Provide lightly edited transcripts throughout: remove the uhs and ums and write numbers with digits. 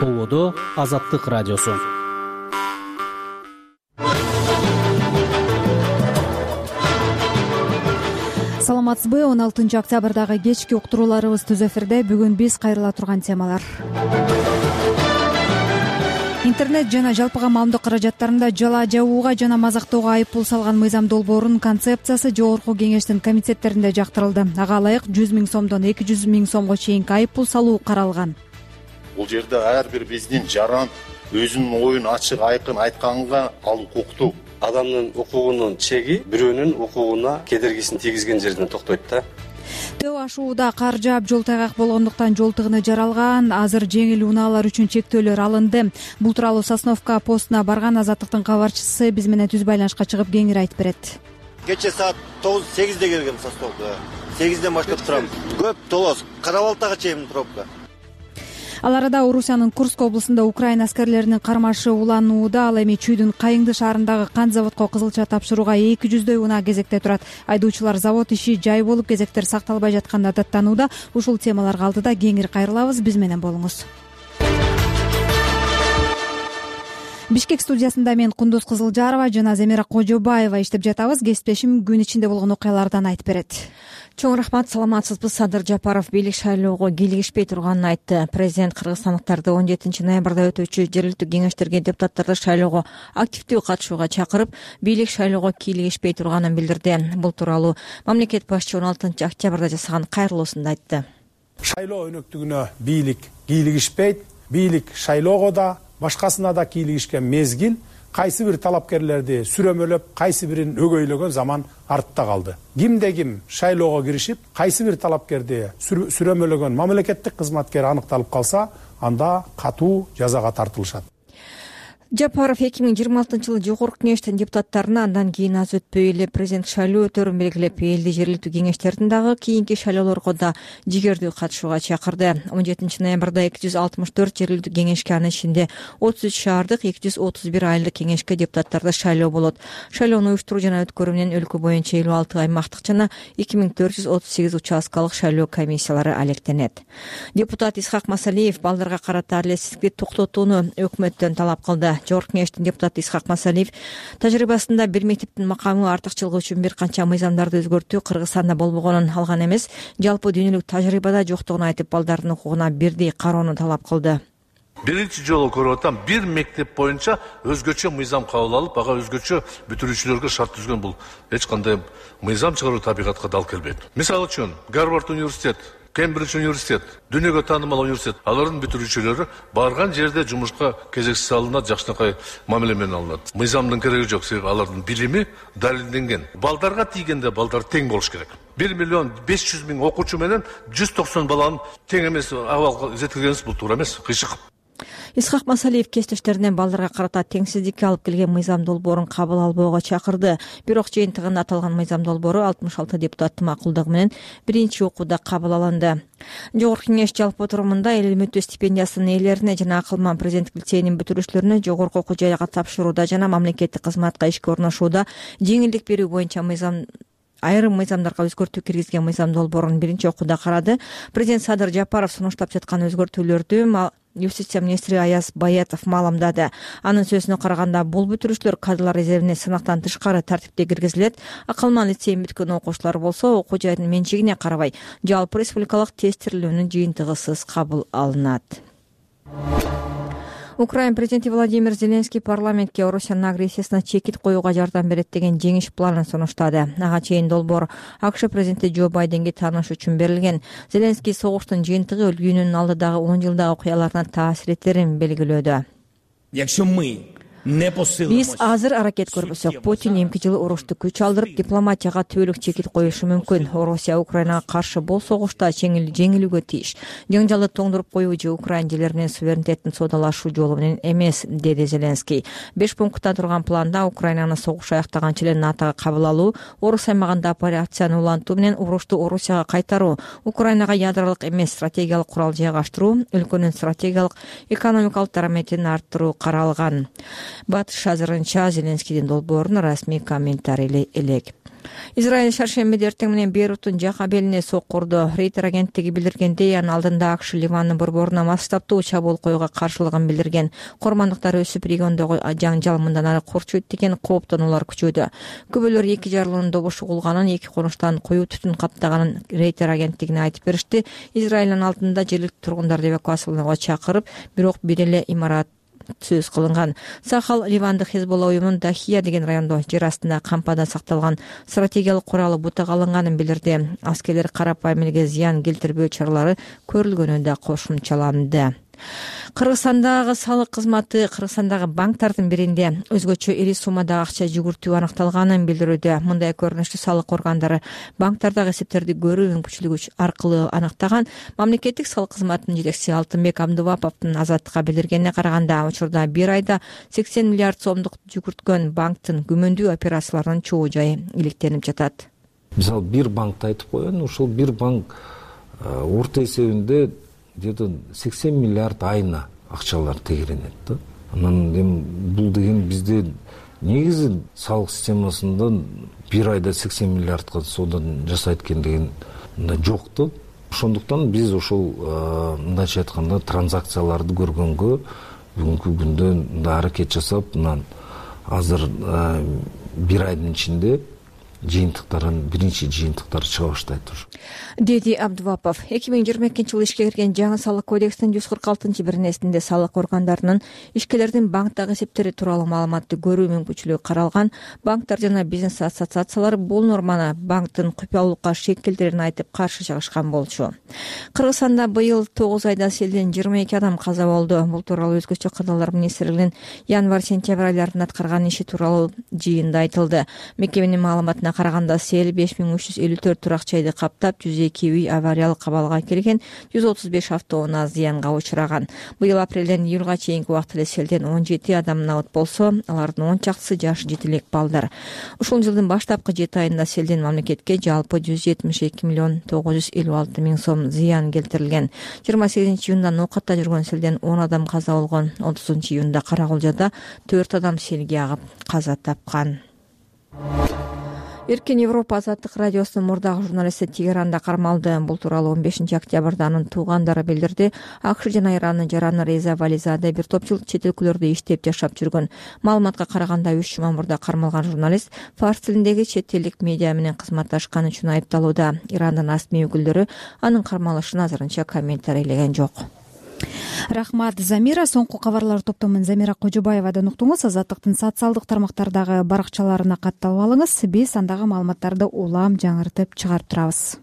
Ободо Азаттык радиосу. Саламатсызбы? 16 октябрдагы кечки уктурууларыбыз түз эфирде. Бүгүн биз кайрыла турган темалар: интернет жана жалпыга маалымдоо каражаттарында жала жабууга жана мазактоого айыппул салган мыйзам долбоорунун концепциясы жогорку кеңештин комитеттеринде жактырылды. Ага ылайык 100 000 сомдон 200 000 сомго чейинки айыппул салуу каралган. Бул жерде ар бир биздин жаран өзүнүн оюн ачык айкын айтканга ал укуктуу. Адамдын укугунун чеги бирөөнүн укугуна кедергисин тийгизген жерден токтойт да. Төө ашууда кар жаап жол тайгак болгондуктан жол тыгыны жаралган. Азыр жеңил унаалар үчүн чектөөлөр алынды. Бул тууралуу Сосновка постуна барган Азаттыктын кабарчысы биз менен түз байланышка чыгып кеңири айтып берет. Кече саат 9-8де келгем Сосновкага. 8ден баштап турам. Көп толос. Карабалтага чейин пробка. Ал арада Орусиянын Курск облусунда Украина аскерлеринин кармашы уланууда. Ал эми Чүйдүн Кайыңды шаарындагы кант заводко кызылча тапшырууга 200дөй унаа кезекте турат. Айдоочулар завод иши жай болуп, кезектер сакталбай жатканын даттанууда. Ушул темаларга алдыда кеңири кайрылабыз. Биз менен болуңуз. Бишкек студиясында мен Кундуз Кызылжарова жана Земира Кожобаева иштеп жатабыз. Кесиптешим күн ичинде болгон окуялардан айтып берет. Чоң рахмат. Саламатсызбы? Садыр Жапаров бийлик шайлоого кийлигишпей турганын айтты. Президент кыргызстандыктарды 17 ноябрда өтүүчү жергиликтүү кеңештерге депутаттарды шайлоого активдүү катышууга чакырып, бийлик шайлоого кийлигишпей турганын билдирди. Бул тууралуу мамлекет башчы 16 октябрда жасаган кайрылуусунда айтты. Шайлоо өнөктүгүнө бийлик кийлигишпейт. Бийлик шайлоого да башкасына да кийлигишкен мезгил кайсы бир талапкерлерди сүрөмөлөп, кайсы бирин өгөйлөгөн заман артта калды. Кимде ким шайлоого киришип, кайсы бир талапкерди сүрөмөлөгөн мамлекеттик кызматкер аныкталып калса, анда катуу жазага тартылышат. Жапаров 2026-жылы жогорку кеңештин депутаттарына андан кийин аз өтпөй эле президент шайлоо өтөрүн белгилеп, элди жергиликтүү кеңештердин дагы кийинки шайлоолорго да жигердүү катышууга чакырды. 17 ноябрда 264 жергиликтүү кеңешке, анын ичинде 33 шаардык, 231 айылдык кеңешке депутаттарды шайлоо болот. Шайлоону уюштуруу жана өткөрүү менен өлкө боюнча 56 аймактык жана 2438 участкалык шайлоо комиссиялары алектенет. Депутат Исхак Масалиев балдарга карата адилетсиздикти токтотууну өкмөттөн талап кылды. Жогорку кеңештин депутаты Исхак Масалиев тажрыйбасында бир мектептин макамы артыкчылыгы үчүн бир канча мыйзамдарды өзгөртүү Кыргызстанда болбогонун, алган эмес, жалпы дүйнөлүк тажрыйбада жоктугун айтып, балдардын укугуна бирдей кароону талап кылды. Биринчи жолу көрүп атам, бир мектеп боюнча өзгөчө мыйзам кабыл алып, ага өзгөчө бүтүрүүчүлөргө шарт түзгөн. Бул эч кандай мыйзам чыгаруу табигатка дал келбейт. Мисалы үчүн, Гарвард университет, Кембридж университет, дүйнөгө таанымал университет, алардын бүтүрүүчүлөрү барган жерде жумушка кезексиз алынат, жакшынакай мамиле менен алынат. Мыйзамдын кереги жок, себеби алардын билими далилденген. Балдарга тийгенде балдар тең болуш керек. 1 500 000 окуучу менен 190 баланын тең эмес абалга жеткиргенибиз бул туура эмес, кыйшык. Исхак Масалиев кесиптештеринен балдарга карата теңсиздикке алып келген мыйзам долбоорун кабыл албоого чакырды. Бирок жыйынтыгында аталган мыйзам долбоору 66 депутаттын макулдугу менен биринчи окууда кабыл алынды. Жогорку кеңеш жалпы отурумунда эл үмүттүү стипендиясынын ээлерине жана Акылман президенттик лицейинин бүтүрүүчүлөрүнө жогорку окуу жайга тапшырууда жана мамлекеттик кызматка ишке орношууда жеңилдик берүү боюнча айрым мыйзамдарга өзгөртүү киргизген мыйзам долбоорун биринчи окууда карады. Президент Садыр Жапаров сунуштап жаткан өзгөртүүлөрдү Юстиция министри Аяз Баятов маалымдады. Анын сөзүнө караганда, бул бүтүрүүчүлөр кадрдар резервине сынактан тышкары тартипте киргизилет. Акылман лицейин бүткөн окуучулар болсо, окуу жайдын менчигине карабай, жалпы республикалык тестирлөөнүн жыйынтыгысыз кабыл алынат. Украина президенти Владимир Зеленский парламентке Орусиянын агрессиясына чекит коюуга жардам берет деген жеңиш планын сунуштады. Ага чейин долбоор АКШ президенти Джо Байденге тааныш үчүн берилген. Зеленский согуштун жыйынтыгы өлкөнүн алдыдагы 10 жылдагы окуяларына таасир этерин белгилөөдө. Биз азыр аракет көрбөсөк, Путин эмки жылы урушту күч алдырып, дипломатияга түбөлүк чекит коюшу мүмкүн. Орусия Украинага каршы бул согушта жеңилүүгө тийиш. Жаңжалды тоңдуруп коюу же Украина жерлери менен суверенитеттин соодалашуу жолу менен эмес, деди Зеленский. 5 пункттан турган планда Украинаны согуш аяктаганча эле НАТОго кабыл алуу, Орус аймагында операцияны улантуу менен урушту Орусияга кайтаруу, Украинага ядролук эмес стратегиялык курал жайгаштыруу, өлкөнүн стратегиялык экономикалык дараметин арттыруу каралган. Батыш азырынча Зеленскийдин долбоорун расмий комментарий элек. Израиль шаршембиде эртең менен Бейруттун жак абелине сокку урду. Рейтер агенттиги билдиргендей, анын алдында АКШ Ливандын борборуна массаптуу чабуул коюуга каршылыгын билдирген. Кормандыктар өсүп, региондогу жаңжал мындан ары курчуйт деген кооптонуулар күчөдө. Күбөлөр 2 жарылуунун добушу угулганын, 2 конуштан коюу түтүн каптаганын Рейтер агенттигине айтып беришти. Израилдин алдында жергиликтүү тургундарды эвакуациялоого чакырып, бирок бир эле имарат сөз кылынган. Сахал Ливандык Хезболла уюмунун Дахия деген райондо жер астында кампада сакталган стратегиялык куралы бутага алынганын билдирди. Аскерлер карапайым элге зыян келтирбөө чаралары көрүлгөнү да кошумчаланды. Кыргызстандагы салык кызматы Кыргызстандагы банктардын биринде өзгөчө ири суммадагы акча жүгүртүү аныкталганын билдирүүдө. Мындай көрүнүштү салык органдары банктардагы эсептерди көрүү мүмкүнчүлүгү аркылуу аныктаган. Мамлекеттик салык кызматынын жетекчиси Алтынбек Абдубаповдун Азаттыкка билдиргенине караганда, учурда бир айда 80 миллиард сомдук жүгүрткөн банктын күмөндүү операцияларынын чогуу жайы иликтенип жатат. Мисалы, бир банкты айтып коеюн, ушул бир банк орто эсебинде где-то 80 миллиард айына акчалар тегеренет да. Анан эми бул деген бизде негизи салык системасында бир айда 80 миллиардка соода жасайт экен деген жок да. Ошондуктан биз ошол мындайча айтканда транзакцияларды көргөнгө бүгүнкү күндө мындай аракет жасап, анан азыр бир айдын ичинде биринчи жыйынтыктар чыга баштайт ушу, деди Абдубапов. 2022-жылы ишке кирген жаңы салык кодекстин 146-беренесинде салык органдарынын ишкерлердин банктагы эсептери тууралуу маалыматты көрүү мүмкүнчүлүгү каралган. Банктар жана бизнес ассоциациялары бул норманы банктын купуялуулукка шек келтирерин айтып каршы чыгышкан болчу. Кыргызстанда быйыл 9 айда селден 22 адам каза болду. Бул тууралуу өзгөчө кырдаалдар министрлигинин январь-сентябрь айларында аткарган иши тууралуу жыйында айтылды. Мекеменин маалыматына караганда сел 5354 турак жайды каптап, 102 үй авариялык абалга келген, 135 автоунаа зыянга учураган. Быйыл апрелден июлга чейинки убакта эле селден 17 адам абат болсо, алардын 10 чактысы жаш жетилек балдар. Ушул жылдын баштапкы 7 айында селден мамлекетке жалпы 172 миллион 956 миң сом зыян келтирилген. 28 июнда Нокатта жүргөн селден 10 адам каза болгон. 30 июнда Карагулжада 4 адам селге агып каза тапкан. Эркин Европа Азаттык радиосунун мурдагы журналисти Тегеранда кармалды. Бул тууралуу 15 октябрда анын туугандары билдирди. АКШ жана Ирандын жараны Реза Вализаде бир топ жыл чет өлкөлөрдө иштеп жашап жүргөн. Маалыматка караганда 3 жума мурда кармалган журналист фарс тилиндеги чет элдик медиа менен кызматташкан үчүн айыпталууда. Ирандын расмий өкүлдөрү анын кармалышын азырынча комментарийлеген жок. Рахмат, Замира. Соңку кабарлар топтомун Замира Кожобаевадан уктуңуз. Азаттыктын социалдык тармактардагы баракчаларына катталып алыңыз. Биз андагы маалыматтарды улам жаңыртып чыгарып турабыз.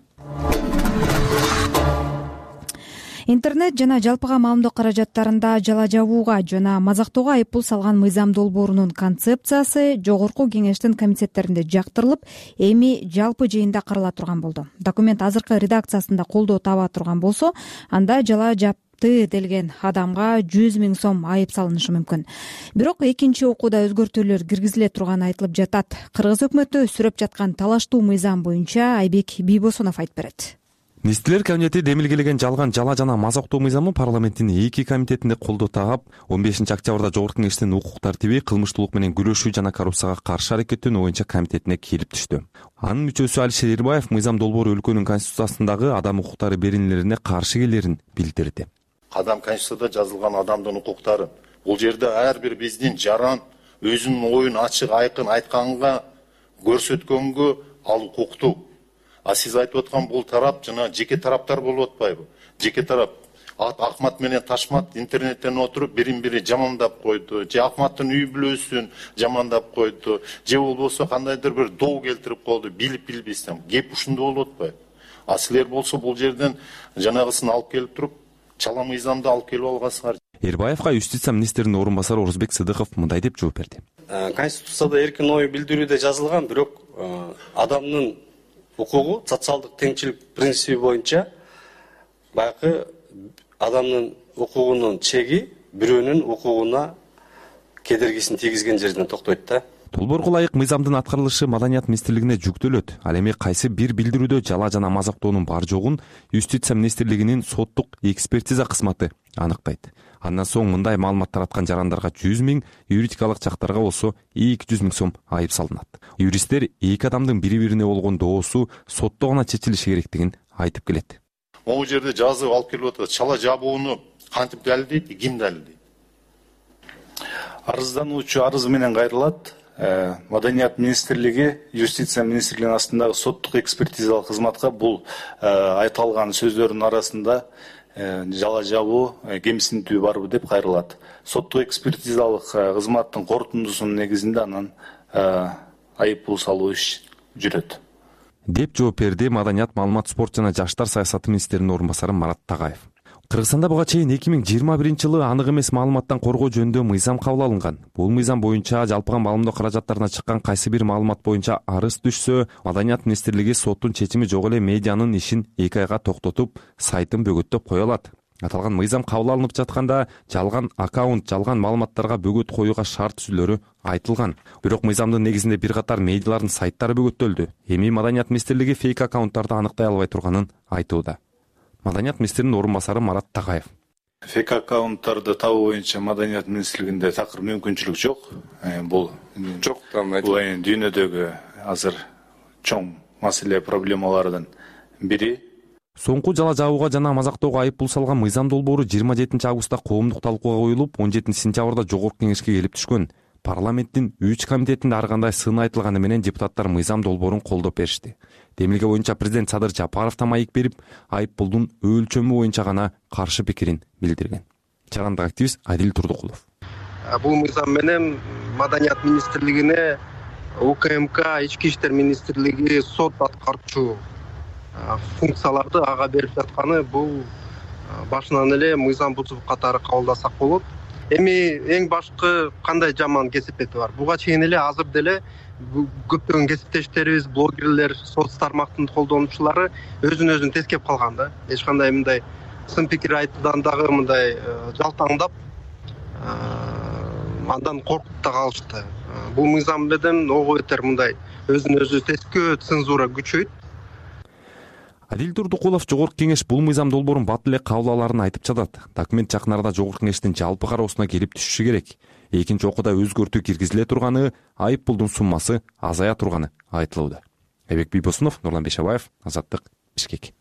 Интернет жана жалпыга маалымдоо каражаттарында жала жабууга жана мазактоого айыппул салган мыйзам долбоорунун концепциясы жогорку кеңештин комитеттеринде жактырылып, эми жалпы жыйында карала турган болду. Документ азыркы редакциясында колдоо таба турган болсо, анда жала делген адамга 100 миң сом айып салынышы мүмкүн. Бирок экинчи окууда өзгөртүүлөр киргизиле турганы айтылып жатат. Кыргыз өкмөтү сүрөп жаткан талаштуу мыйзам боюнча Айбек Бийбосунов айтып берет. Министрлер кабинети демилгелеген жалган жала жана мазактоо мыйзамы парламенттин 2 комитетинде колдоо тагып, 15 октябрда жогорку кеңештин укук тартиби, кылмыштуулук менен күрөшүү жана коррупцияга каршы аракеттенүү боюнча комитетине келип түштү. Анын мүчөсү Алишер Эрбаев мыйзам долбоору өлкөнүн конституциясындагы адам укуктары беренелерине каршы келерин билдирди. Адам конституцияда жазылган адамдын укуктары. Бул жерде ар бир биздин жаран өзүнүн оюн ачык айкын айтканга, көрсөткөнгө ал укуктуу. А сиз айтып аткан бул тарап жана жеке тараптар болуп атпайбы? Жеке тарап Акмат менен Ташмат интернеттен отуруп бирин-бири жамандап койду, же Акматтын үй бүлөсүн жамандап койду, же болбосо кандайдыр бир доо келтирип койду, билбестен. Кеп ушундай болуп атпайбы? А силер болсо бул жерден жанагысын алып келип туруп, чала мыйзамды алып келип алгансыңар. Эрбаевга юстиция министринин орун басары Орузбек Сыдыков мындай деп жооп берди. Конституцияда эркин ой билдирүүдө жазылган, бирок адамдын укугу социалдык теңчилик принциби боюнча баягы адамдын укугунун чеги бирөөнүн укугуна кедергисин тийгизген жерден токтойт да. Долбоорго ылайык мыйзамдын аткарылышы Маданият министрлигине жүктөлөт. Ал эми кайсы бир билдирүүдө жала жана мазактоонун бар жогун Юстиция министрлигинин соттук экспертиза кызматы аныктайт. Андан соң мындай маалымат тараткан жарандарга 100 000, юридикалык жактарга болсо 200 000 сом айып салынат. Юристтер эки адамдын бири-бирине болгон доосу сотто гана чечилиши керектигин айтып келет. Могу жерде жазып алып келип атат. Чала жабууну кантип далилдейт, ким далилдейт? Арыздануучу арызы менен кайрылат. Маданият министрлиги Юстиция министрлигинин астындагы соттук экспертизалык кызматка бул айтылган сөздөрдүн арасында жала жабуу, кемсинтүү барбы деп кайрылат. Соттук экспертизалык кызматтын корутундусунун негизинде анан айып пул салуу иш жүрөт деп жооп берди Маданият, маалымат, спорт жана жаштар саясаты министринин орун басары Марат Тагаев. Кыргызстанда буга чейин 2021-жылы анык эмес маалыматтан коргоо жөнүндө мыйзам кабыл алынган. Бул мыйзам боюнча жалпыга маалымдоо каражаттарына чыккан кайсы бир маалымат боюнча арыз түшсө, Маданият министрлиги соттун чечими жок эле медианын ишин 2 айга токтотуп, сайтын бөгөттөп кое алат. Аталган мыйзам кабыл алынып жатканда жалган аккаунт, жалган маалыматтарга бөгөт коюуга шарт түзүлөрү айтылган. Бирок мыйзамдын негизинде бир катар медиалардын сайттары бөгөттөлдү. Эми Маданият министрлиги фейк аккаунттарды аныктай албай турганын айтууда. Маданият министринин орун басары Марат Тагаев. Фейк аккаунттарды табуу боюнча Маданият министрлигинде такыр мүмкүнчүлүк жок. Бул дүйнөдөгү азыр чоң маселе, проблемалардын бири. Соңку жала жабууга жана мазактоого айып пул салган мыйзам долбоору 27 августта коомдук талкууга коюлуп, 17 сентябрда жогорку кеңешке келип түшкөн. Парламенттин 3 комитетинде ар кандай сын айтылганы менен депутаттар мыйзам долбоорун колдоп беришти. Демилге боюнча президент Садыр Жапаров да маек берип, айып пулдун өлчөмү боюнча гана каршы пикирин билдирген. Жарандык активист Адил Турдукулов. Бул мыйзам менен Маданият министрлигине УКМК, Ички иштер министрлиги сот аткарчу функцияларды ага берип жатканы бул башынан эле мыйзам бузуу катары кабылдасак болот. Эми эң башкы кандай жаман кесипети бар? Буга чейин эле азыр деле көптөгөн кесиптештерибиз, блогерлер, соц тармактын колдонуучулары өзүн тескеп калган да. Эч кандай мындай сын пикир айтуудан дагы мындай жалтаңдап, андан коркуп да калышты. Бул мыйзам менен ого бетер мындай өзүн тескөө, цензура күчөйт. Адил Турдукулов жогорку кеңеш бул мыйзам долбоорун бат эле кабыл алаарын айтып жатат. Документ жакын арада жогорку кеңештин жалпы кароосуна келип түшүшү керек. Экинчи окууда өзгөртүү киргизиле турганы, айып пулдун суммасы азая турганы айтылууда. Айбек Бийбосунов, Нурлан Бешебаев, Азаттык, Бишкек.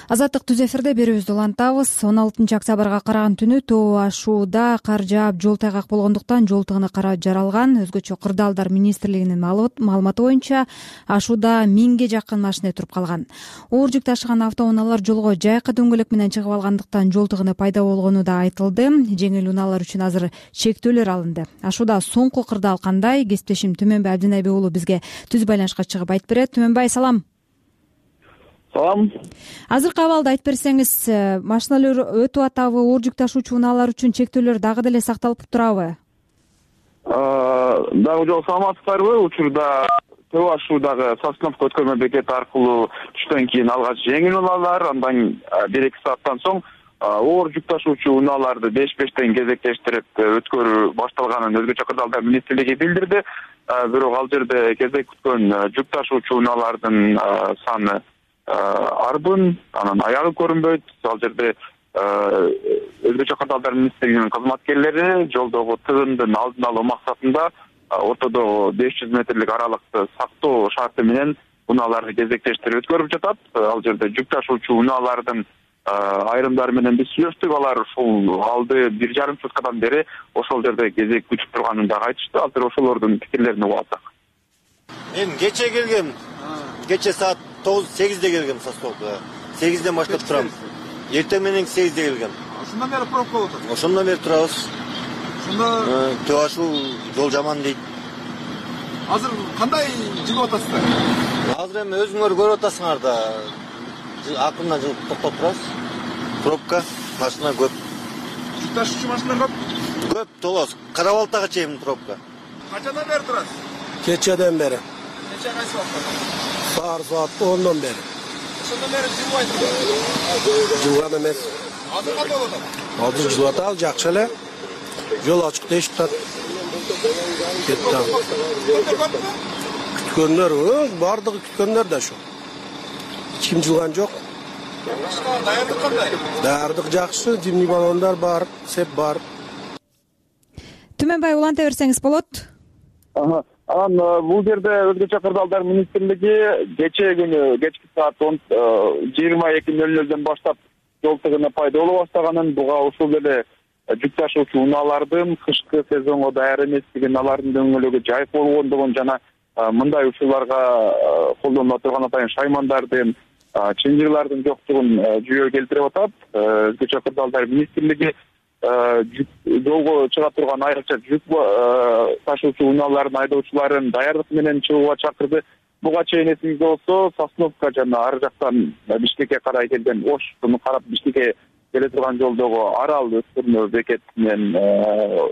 Азаттык түз эфирде берүүбүздү улантабыз. 16 октябрга караган түнү Тоо Ашууда кар жаап жол тайгак болгондуктан жол тыгыны кара жаралган. Өзгөчө Кырдаалдар министрлигинин маалыматы боюнча Ашууда 1000ге жакын машина туруп калган. Оор жүк ташыган автоунаалар жолго жайкы дөңгөлөк менен чыгып алгандыктан жол тыгыны пайда болгону да айтылды. Жеңил унаалар үчүн азыр чектөөлөр алынды. Ашууда соңку кырдаал кандай? Кесиптешим Түмөнбай Абдинайбек уулу бизге түз байланышка чыгып айтып берет. Түмөнбай, салам. Салам. Азыркы абалды айтып берсеңиз, машиналар өтүп атабы, оор жүк ташуучу унаалар үчүн чектөөлөр дагы деле сакталып турабы? Дагы жол саламатсыздарбы? Учурда Тоо Ашуудагы Сосновка өткөрмө бекети аркылуу түштөн кийин алгач жеңил унаалар, андан 1-2 сааттан соң оор жүк ташуучу унааларды беш-бештен кезектештирип өткөрүү башталганын өзгөчө Кырдаалдар министрлиги билдирди. Бирок ал жерде кезек күткөн жүк ташуучу унаалардын саны арбын, анан аягы көрүнбөйт. Ал жерде өзгөчө Кырдаалдар министрлигинин кызматкерлери жолдогу тыгындын алдын алуу максатында ортодогу 500 метрлик аралыкты сактоо шарты менен унааларды кезектештирип өткөрүп жатат. Ал жерде жүк ташуучу унаалардын айрымдары менен биз сүйлөштүк. Алар ушул алды 1,5 суткадан бери ошол жерде кезек күтүп турганын дагы айтышты. Азыр ошолордун пикирлерин угуп атсак. Мен кече келгем. Кече саат 9-8'de келгем Сосновкага. 8'ден баштап турам. Эртең менен 8'де келгем. Ошондон бери пробка болот. Ошондон бери турабыз. Ошондо Тоо Ашуу жол жаман дейт. Азыр кандай жигип атасыздар? Азыр эми өзүңөр көрүп атасыңар да. Акырынан жылып токтоп турабыз. Пробка, машина көп. Жүк ташуучу машина көп? Көп, толос. Карабалтага чейин пробка. Качадан бери турасыз? Кечеден бери. Кече кайсы убакта? Саат 10'dan beri. Ошондон бери жылбайсызбы? Жылган эмес. Азыр кандай болуп атат? Азыр жылып атабыз, жакшы эле. Жол ачык дейишип атат. Кетти. Күткөндөр, бардыгы күткөндөр да ошо. Эч ким жылган жок. Даярдык кандай? Даярдык жакшы, зимний баллондар бар, сеп бар. Түмөнбай уланта берсеңиз болот. Анан бул жерде Өзгөчө кырдаалдар министрлиги кечээ күнү кечки саат 22:00 баштап жол тыгыны пайда боло баштаганын, буга ушул эле жүк ташуучу унаалардын кышкы сезонго даяр эместигин, алардын дөңгөлөгү жайык болгондугун жана мындай учурларга колдонула турган атайын шаймандардын, чынжырлардын жоктугун жүйө келтирип атат. Өзгөчө кырдаалдар министрлиги жолго чыга турган айрыкча жүк ташуучу унаалардын айдоочуларын даярдык менен чыгууга чакырды. Буга чейин эсиңизде болсо, Сосновка жана ары жактан Бишкекке карай келген Ошуну карап Бишкекке келе турган жолдогу Арал өткөрмө бекетинен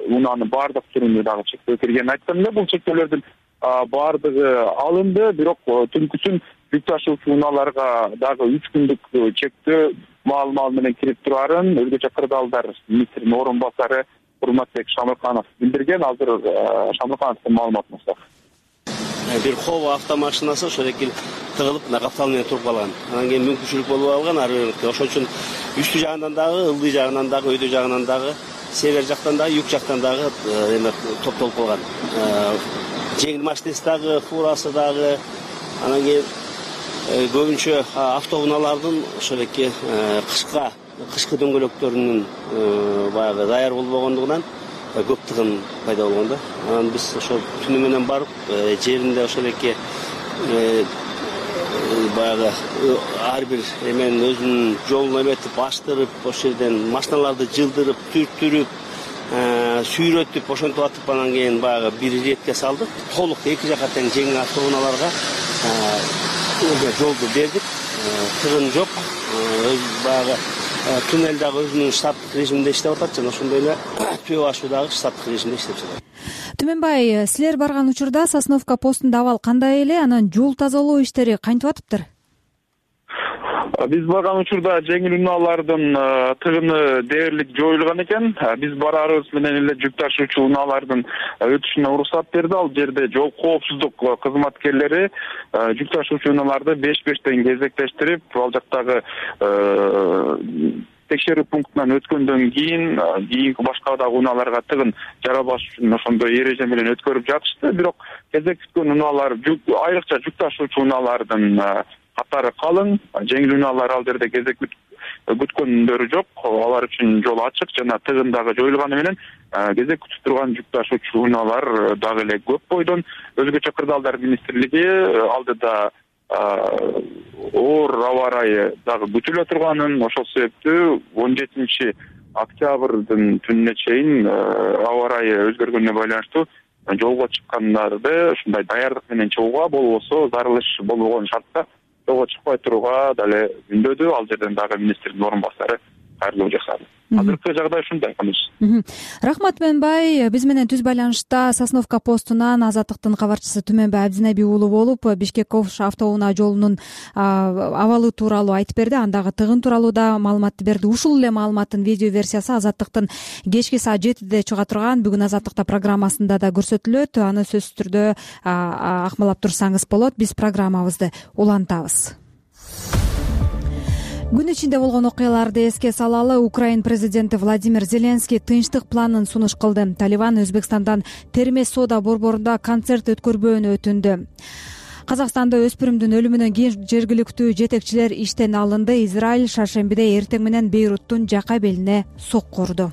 унаанын баардык түрүнө дагы чектөө киргенин айтсам эле, бул чектөөлөрдүн баардыгы алынды, бирок түнкүсүн жүк ташуучу унааларга дагы 3 күндүк чектөө маал менен кирип турарын Өзгөчө кырдаалдар министринин орун басары Урматбек Шамырканов билдирген. Азыр Шамыркановдун маалыматына сак. Бир Хова автомашинасы ошол эки тыгылып, каптал менен туруп калган. Анан кийин мүмкүнчүлүк болуп алган, ошон үчүн үстү жагынан дагы, ылдый жагынан дагы, өйдө жагынан дагы, север жактан дагы, юг жактан дагы топтолуп калган. Жеңил машинасы дагы, фурасы дагы, анан кийин көбүнчө автоунаалардын ошол эки кышкы дөңгөлөктөрүнүн баягы даяр болбогондугунан көп тыгын пайда болгон да. Анан биз ошол түнү менен барып жеринде ошол эки баягы ар бир эменин өзүнүн жолун эметип, аштырып, ошол жерден машиналарды жылдырып, түрттүрүп, сүйрөтүп, ошентип атып, анан кийин баягы бир иретке салдык. Толук эки жака тең жеңил автоунааларга жолду бердик. Тыгын жок. Баягы туннель дагы өзүнүн штаттык режиминде иштеп атат жана ошондой эле төө башы дагы штаттык режимде иштеп жатат. Түмөнбай, силер барган учурда Сосновка постунда абал кандай эле? Анан жол тазалоо иштери кантип атыптыр? Биз барган учурда жеңил унаалардын тыгыны дээрлик жоюлган экен. Биз барарыбыз менен эле жүк ташуучу унаалардын өтүшүнө уруксат берди. Ал жерде жол коопсуздук кызматкерлери жүк ташуучу унааларды 5-5тен кезектештирип, ал жактагы текшерүү пунктунан өткөндөн кийинки башка дагы унааларга тыгын жарабаш үчүн ошондой эреже менен өткөрүп жатышты. Бирок кезек күткөн унаалар, айрыкча жүк ташуучу унаалардын катары калың. Жеңил унаалар ал жерде кезек күткөндөрү жок. Алар үчүн жол ачык жана тыгын дагы жоюлганы менен кезек күтүп турган жүк ташуучу унаалар дагы эле көп бойдон. Өзгөчө кырдаалдар министрлиги алдыда оор аба ырайы дагы күтүлө турганын, ошол себептүү 17 октябрдын түнүнө чейин аба ырайы өзгөргөнүнө байланыштуу жолго чыккандарды ушундай даярдык менен чыгууга, болбосо зарылыш болбогон шартта жолго чыкпай турууга дале үндөдү. Ал жерден дагы министрдин орун басары кайрылуу жасады. Азыркы жагдай ушундай. Рахмат Түмөнбай. Биз менен түз байланышта Сосновка постунан Азаттыктын кабарчысы Түмөнбай Абдинеби уулу болуп, Бишкек-Ош автоунаа жолунун абалы тууралуу айтып берди. Андагы тыгын тууралуу да маалыматты берди. Ушул эле маалыматтын видео версиясы Азаттыктын кечки саат 7-де чыга турган бүгүн Азаттыкта программасында да көрсөтүлөт. Аны сөзсүз түрдө акмалап турсаңыз болот. Биз программабызды улантабыз. Күн ичинде болгон окуяларды эске салалы. Украин президенти Владимир Зеленский тынчтык планын сунуш кылды. Талибан Өзбекстандан Термез соода борборунда концерт өткөрбөөнү өтүндү. Казакстанда өспүрүмдүн өлүмүнөн кийин жергиликтүү жетекчилер иштен алынды. Израиль шаршембиде эртең менен Бейруттун жака белине сокку урду.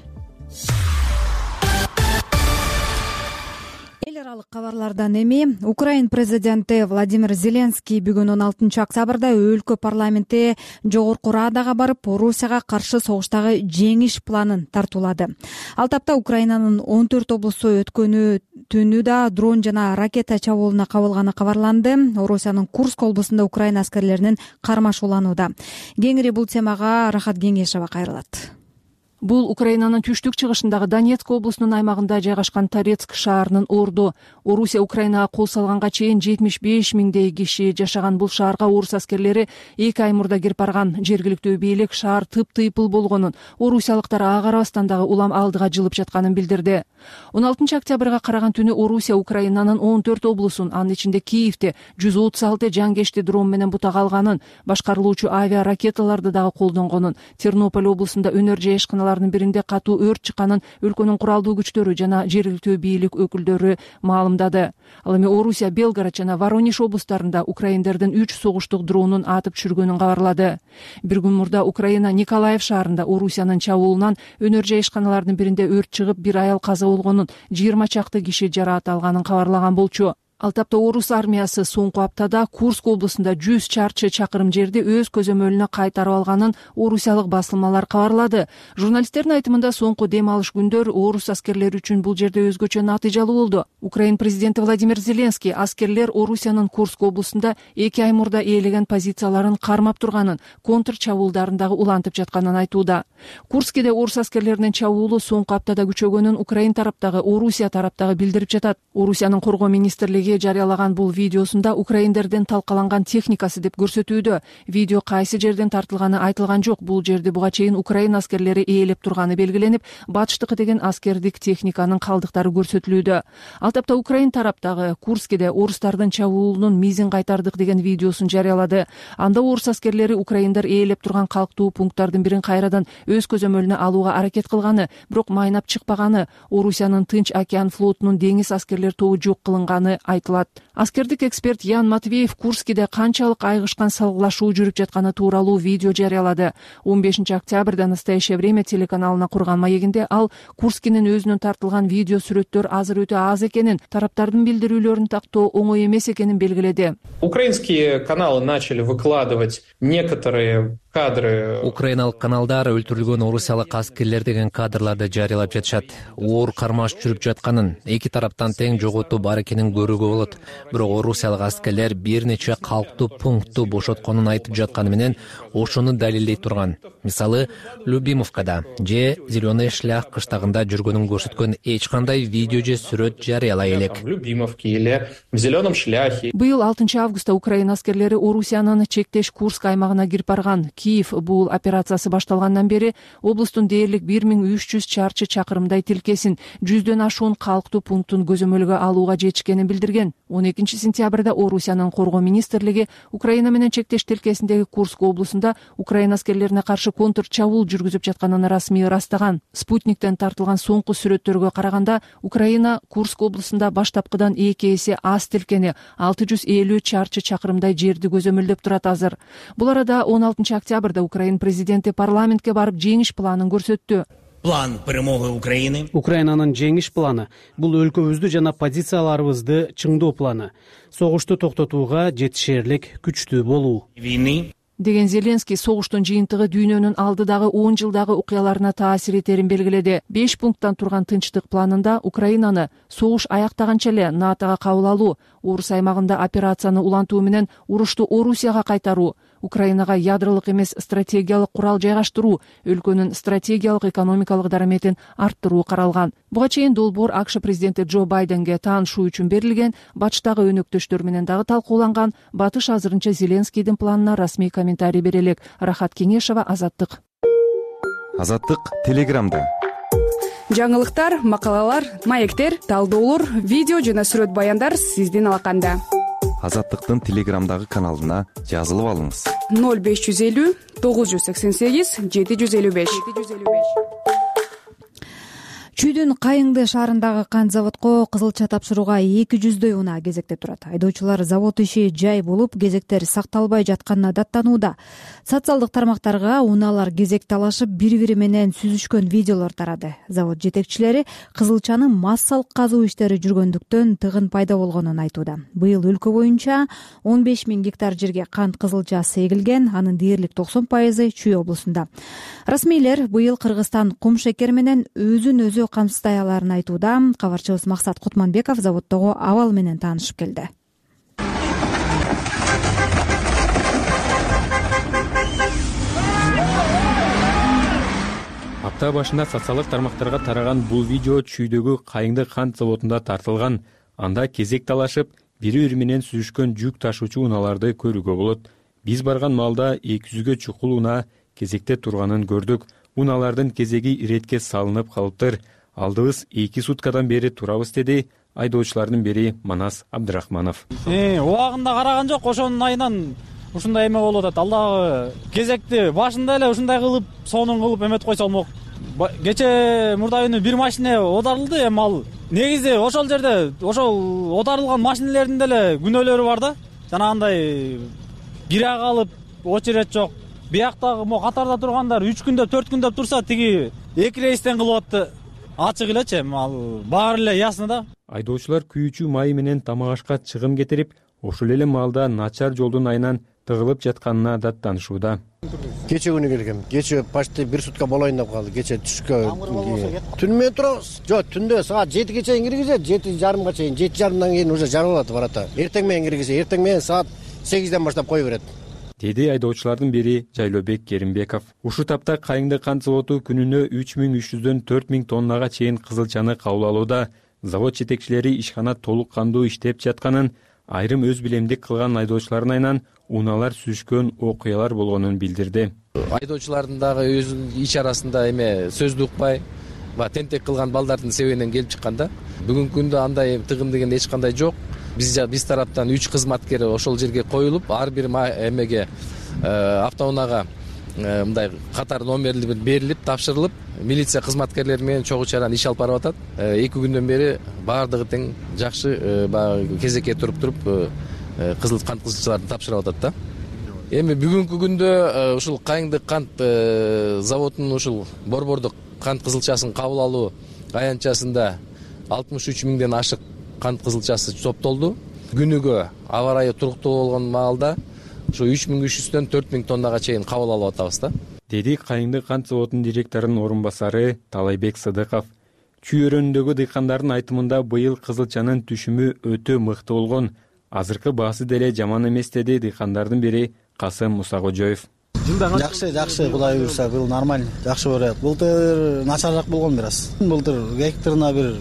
Эл аралык кабарлардан эми Украин президенти Владимир Зеленский бүгүн 16 октябрда өлкө парламенти жогорку Радага барып, Орусияга каршы согуштагы жеңиш планын тартуулады. Ал тапта Украинанын 14 облусу өткөнү түнү да дрон жана ракета чабуулуна кабылганы кабарланды. Орусиянын Курск облусунда Украина аскерлеринин кармашууланууда. Кеңири бул темага Рахат Кеңешева кайрылат. Бул Украинанын түштүк чыгышындагы Донецк облусунун аймагында жайгашкан Торецк шаарынын орду. Орусия Украинага кол салганга чейин 75 миңдей киши жашаган бул шаарга орус аскерлери 2 ай мурда кирип барган. Жергиликтүү бийлик шаар тыптыйпыл болгонун, орусиялыктар ага карабастан дагы улам алдыга жылып жатканын билдирди. 16 октябрга караган түнү Орусия Украинанын 14 облусун, анын ичинде Киевде 136 жангечти дрон менен бутага алганын, башкарылуучу авиа ракеталарды дагы колдонгонун, Тернополь облусунда өнөр жай ишканаларынын биринде катуу өрт чыкканын өлкөнүн куралдуу күчтөрү жана жергиликтүү бийлик өкүлдөрү маалымдады. Ал эми Орусия Белгород жана Воронеж облустарында украиндердин 3 согуштук дронун атып түшүргөнүн кабарлады. Bir күн мурда Украина Николаев шаарында Орусиянын чабуулунан өнөр жай ишканаларынын биринде өрт чыгып, bir аял каза болгонун, 20 чакты киши жараат алганын кабарлаган болчу. Ал тапта орус армиясы соңку аптада Курск облусунда 100 чарчы чакырым жерди өз көзөмөлүнө кайтарып алганын орусиялык басылмалар кабарлады. Журналисттердин айтымында соңку дем алыш күндөр орус аскерлери үчүн бул жерде өзгөчө натыйжалуу болду. Украин президенти Владимир Зеленский аскерлер Орусиянын Курск облусунда 2 ай мурда ээлеген позицияларын кармап турганын, контр чабуулдарын дагы улантып жатканын айтууда. Курскеде орус аскерлеринин чабуулу соңку аптада күчөгөнүн Украин тараптагы, Орусия тараптагы билдирип жатат. Орусиянын коргоо министрлиги жарыялаган бул видеосунда украиндердин талкаланган техникасы деп көрсөтүүдө. Видео кайсы жерден тартылганы айтылган жок. Бул жерде буга чейин Украин аскерлери ээлеп турганы белгиленип, батыштыкы деген аскердик техниканын калдыктары көрсөтүлүүдө. Ал тапта Украин тараптагы Курскеде орустардын чабуулунун мизин кайтардык деген видеосун жарыялады. Анда орус аскерлери украиндер ээлеп турган калктуу пункттардын бирин кайрадан өз көзөмөлүнө алууга аракет кылганы, бирок майнап чыкпаганы, Орусиянын Тынч океан флотунун деңиз аскерлер тобу жок кылынганы айтылат. Аскердик эксперт Ян Матвеев Курскеде канчалык айгышкан салгылашуу жүрүп жатканы тууралуу видео жарыялады. 15 октябрда «Настоящее время» телеканалына курган маегинде ал Курскенин өзүнүн тартылган видео сүрөттөр азыр өтө аз экенин, тараптардын билдирүүлөрүн тактоо оңой эмес экенин белгиледи. Украинские каналы начали выкладывать некоторые кадры. Украиналык каналдар өлтүрүлгөн орусиялык аскерлер деген кадрларды жарыялап жатышат. Оор кармаш жүрүп жатканын, эки тараптан тең жоготуу бар экенин көрүүгө болот. Бирок орусиялык аскерлер бир нече калктуу пунктту бошотконун айтып жатканы менен ошону далилдей турган. Мисалы, Любимовкада же Зеленый шлях кыштагында жүргөнүн көрсөткөн эч кандай видео же сүрөт жарыялай элек. В Любимовке или в Зеленом шляхе. Быйыл 6 августта Украина аскерлери Орусиянын чектеш Курск аймагына кирип барган. Киев бул операциясы башталгандан бери облустун дээрлик 1300 чарчы чакырымдай тилкесин, 100дөн ашуун калктуу пунктун көзөмөлгө алууга жетишкенин билдирген. 12 сентябрда Орусиянын коргоо министрлиги Украина менен чектеш тилкесиндеги Курск облусунда Украина аскерлерине каршы контр чабуул жүргүзүп жатканын расмий ырастаган. Спутниктен тартылган соңку сүрөттөргө караганда Украина Курск облусунда баштапкыдан 2 эсе аз тилкени, 650 чарчы чакырымдай жерди көзөмөлдөп турат азыр. Бул арада 16 октябрда Украин президенти парламентке барып жеңиш планын көрсөттү. План перемоги Украины. Украинанын жеңиш планы бул өлкөбүздү жана позицияларыбызды чыңдоо планы. Согушту токтотууга жетишерлик күчтүү болуу. Деген Зеленский согуштун жыйынтыгы дүйнөнүн алдыдагы 10 жылдагы окуяларына таасир этерин белгиледи. 5 пункттан турган тынчтык планында Украинаны согуш аяктаганча эле НАТОга кабыл алуу, орус аймагында операцияны улантуу менен урушту Орусияга кайтаруу, Украинага ядролук эмес стратегиялык курал жайгаштыруу, өлкөнүн стратегиялык экономикалык дараметин арттыруу каралган. Буга чейин долбоор АКШ президенти Джо Байденге таанышуу үчүн берилген, батыштагы өнөктөштөр менен дагы талкууланган. Батыш азырынча Зеленскийдин планына расмий комментарий бере элек. Рахат Кеңешова, Азаттык. Азаттык Телеграмда. Жаңылыктар, макалалар, маектер, талдоолор, видео жана сүрөт баяндар сиздин алаканда. Азаттыктын Телеграмдагы каналына жазылып алыңыз. 0550 988 755. Чүйдүн Кайыңды шаарындагы кант заводко кызылча тапшырууга 200дөй унаа кезекте турат. Айдоочулар завод иши жай болуп, кезектер сакталбай жатканына даттанууда. Социалдык тармактарга унаалар кезек талашып, бири-бири менен сүзүшкөн видеолор тарады. Завод жетекчилери кызылчанын массалык казуу иштери жүргөндүктөн тыгын пайда болгонун айтууда. Быйыл өлкө боюнча 15 000 гектар жерге кант кызылчасы эгилген, анын дээрлик 90% Чүй облусунда. Расмийлер быйыл Кыргызстан кум шекер менен өзүн-өзү камсыздай аларын айтууда. Кабарчыбыз Максат Кутманбеков заводдогу абал менен таанышып келди. Апта Апта башында социалдык тармактарга тараган бул видео Чүйдөгү Кайыңды кант заводунда тартылган. Анда кезек талашып, бири-бири менен сүзүшкөн жүк ташуучу унааларды көрүүгө болот. Биз барган маалда 200гө чукул унаа кезекте турганын көрдүк. Унаалардын кезеги иретке салынып калыптыр. Алдыбыз 2 суткадан бери турабыз, деди айдоочулардын бири Манас Абдрахманов. Убагында караган жок, ошонун айынан ушундай эме болуп атат. Алдагы кезекти башында эле ушундай кылып, сонун кылып эметип койсо болмок. Кече мурда күнү бир машина оодарылды, эми ал негизи ошол жерде ошол оодарылган машинелердин деле күнөөлөрү бар да. Жанагындай бирак алып очередь жок. Бияктагы мо катарда тургандар 3 күндөп, 4 күндөп турса, тиги 2 рейстен кылып атты. Ачык элечи, ал баары эле ясны да. Айдоочулар күйүүчү май менен тамак ашка чыгым кетирип, ошол эле маалда начар жолдун айынан тыгылып жатканына даттанышууда. Кече күнү келгем. Кече почти 1 сутка болоюн деп калды. Кече түшкө. Түн менен турабыз. Жок, түндө саат 7ге чейин киргизет, 7:30га чейин, 7:30дан кийин уже жарылат барата. Эртең менен киргизе, эртең менен саат 8ден баштап кое берет, деди айдоочулардын бири Жайлообек Керимбеков. Ушул тапта Кайыңды кант заводу күнүнө 3300дөн 4000 тоннага чейин кызылчаны кабыл алууда. Завод жетекчилери ишкана толук кандуу иштеп жатканын, айрым өз билемдик кылган айдоочулардын айынан унаалар сүзүшкөн окуялар болгонун билдирди. Айдоочулардын дагы өзүнүн ич арасында эме сөздү укпай, тентек кылган балдардын себебинен келип чыкканда, бүгүнкү күндө андай тыгын деген эч кандай жок. Биз тараптан 3 кызматкер ошол жерге коюлуп, ар бир эмеге автоунаага мындай катар номерлери берилип, тапшырылып, милиция кызматкерлери менен чогуу чаран иш алып барып атат. 2 күндөн бери баардыгы тең жакшы кезекке туруп кант кызылчаларын тапшырып атат да. Эми бүгүнкү күндө ушул Кайыңды кант заводунун ушул борбордук кант кызылчасын кабыл алуу аянтчасында 63 миңден ашык кант кызылчасы топтолду. Күнүгө аба ырайы туруктуу болгон маалда ушу 3300дөн 4000 тоннага чейин кабыл алып атабыз да, деди Кайыңды кант заводунун директорунун орун басары Талайбек Сыдыков. Чүй өрөөнүндөгү дыйкандардын айтымында быйыл кызылчанын түшүмү өтө мыкты болгон. Азыркы баасы деле жаман эмес, деди дыйкандардын бири Касым Мусакожоев. Жакшы, Кудай буйрса, бул нормально, жакшы болот. Былтыр начарыраак болгон бир аз. Былтыр гектарына бир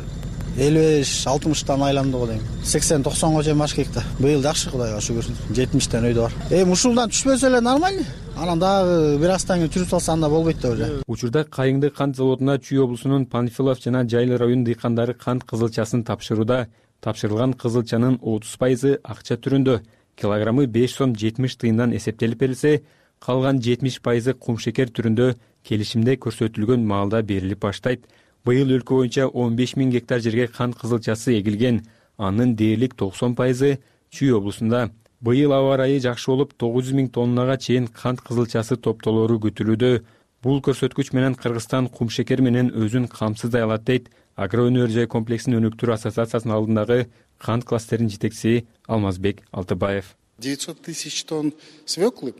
55-60тан айланды го дейм. 80-90го чейин баш гектар. Быйыл жакшы, Кудайга шүгүр. 70тен өйдө бар. Ушулдан түшпөсө эле нормально. Анан дагы бир аздан кийин жүрүп салса анда болбойт да уже. Учурда Кайыңды кант заводуна Чүй облусунун Панфилов жана Жайлы район дыйкандары кант кызылчасын тапшырууда. Тапшырылган кызылчанын 30% акча түрүндө, килограммы 5 сом 70 тыйындан эсептелип берилсе, калган 70% кумшекер түрүндө келишимде көрсөтүлгөн маалда берилип баштайт. Быйыл өлкө боюнча 15 000 гектар жерге кант кызылчасы эгилген. Анын дээрлик 90% Чүй облусунда. Быйыл аба ырайы жакшы болуп, 900 000 тоннага чейин кант кызылчасы топтолору күтүлүүдө. Бул көрсөткүч менен Кыргызстан кумшекер менен өзүн камсыздай алат, дейт Агроөнөр жай комплексин өнүктүрүү ассоциациясынын алдындагы кант кластеринин жетекчиси Алмазбек Алтыбаев. 900 000 тонн свеклы,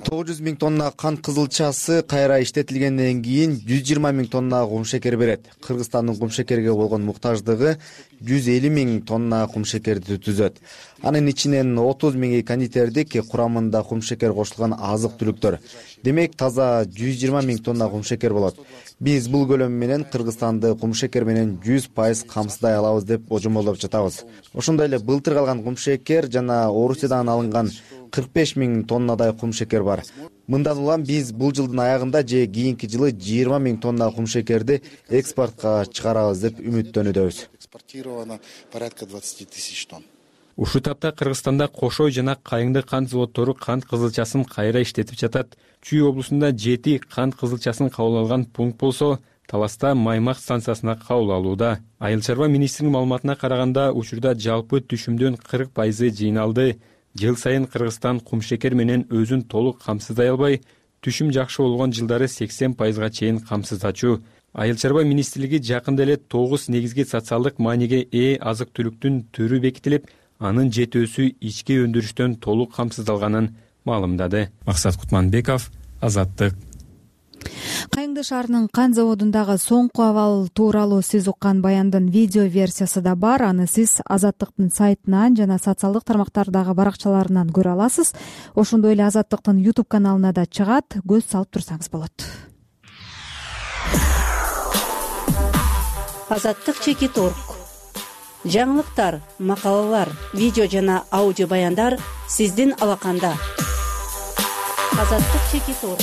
900 000 тонна кант кызылчасы кайра иштетилгенден кийин 120 000 тонна кумшекер берет. Кыргызстандын кумшекерге болгон муктаждыгы 150 000 тонна кумшекерди түзөт. Анын ичинен 30 000 кондитердик, курамында кумшекер кошулган азык-түлүктөр. Демек таза 120 000 тонна кумшекер болот. Биз бул көлөм менен Кыргызстанды кумшекер менен 100% камсыздай алабыз деп божомолдоп жатабыз. Ошондой эле былтыр калган кумшекер жана Орусиядан алынган 45 000 тоннадай кумшекер бар. Мындан улам биз бул жылдын аягында же кийинки жылы 20 000 тонна кумшекерди экспортко чыгарабыз деп үмүттөнүүдөбүз. Экспортировано порядка 20 000 тонн. Ушул тапта Кыргызстанда Кошой жана Кайыңды кант заводдору кант кызылчасын кайра иштетип жатат. Чүй облусунда 7 кант кызылчасын кабыл алган пункт болсо, Таласта Маймак станциясына кабыл алууда. Айыл чарба министринин маалыматына караганда, учурда жалпы түшүмдүн 40% жыйналды. Жыл сайын Кыргызстан кумшекер менен өзүн толук камсыздай албай, түшүм жакшы болгон жылдары 80%га чейин камсыздачу. Айыл чарба министрлиги жакында эле 9 негизги социалдык мааниге ээ азык-түлүктүн түрү бекитилип, анын жетөөсү ички өндүрүштөн толук камсыздалганын маалымдады. Максат Кутманбеков, Азаттык. Кайыңды шаарынын кант заводундагы соңку абал тууралуу сиз уккан баяндын видео версиясы да бар. Аны сиз Азаттыктын сайтынан жана социалдык тармактардагы баракчаларынан көрө аласыз. Ошондой эле Азаттыктын YouTube каналына да чыгат. Көз салып турсаңыз болот. азаттык чекит орг. Жаңылыктар, макалалар, видео жана аудио баяндар сиздин алаканда. азаттык чекит орг.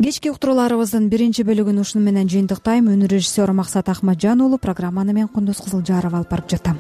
Кечки уктурууларыбыздын биринчи бөлүгүн ушуну менен жыйынтыктайм. Өнөр режиссеру Максат Ахмаджан уулу, программаны мен Кундуз Кызылжарова алып барып жатам.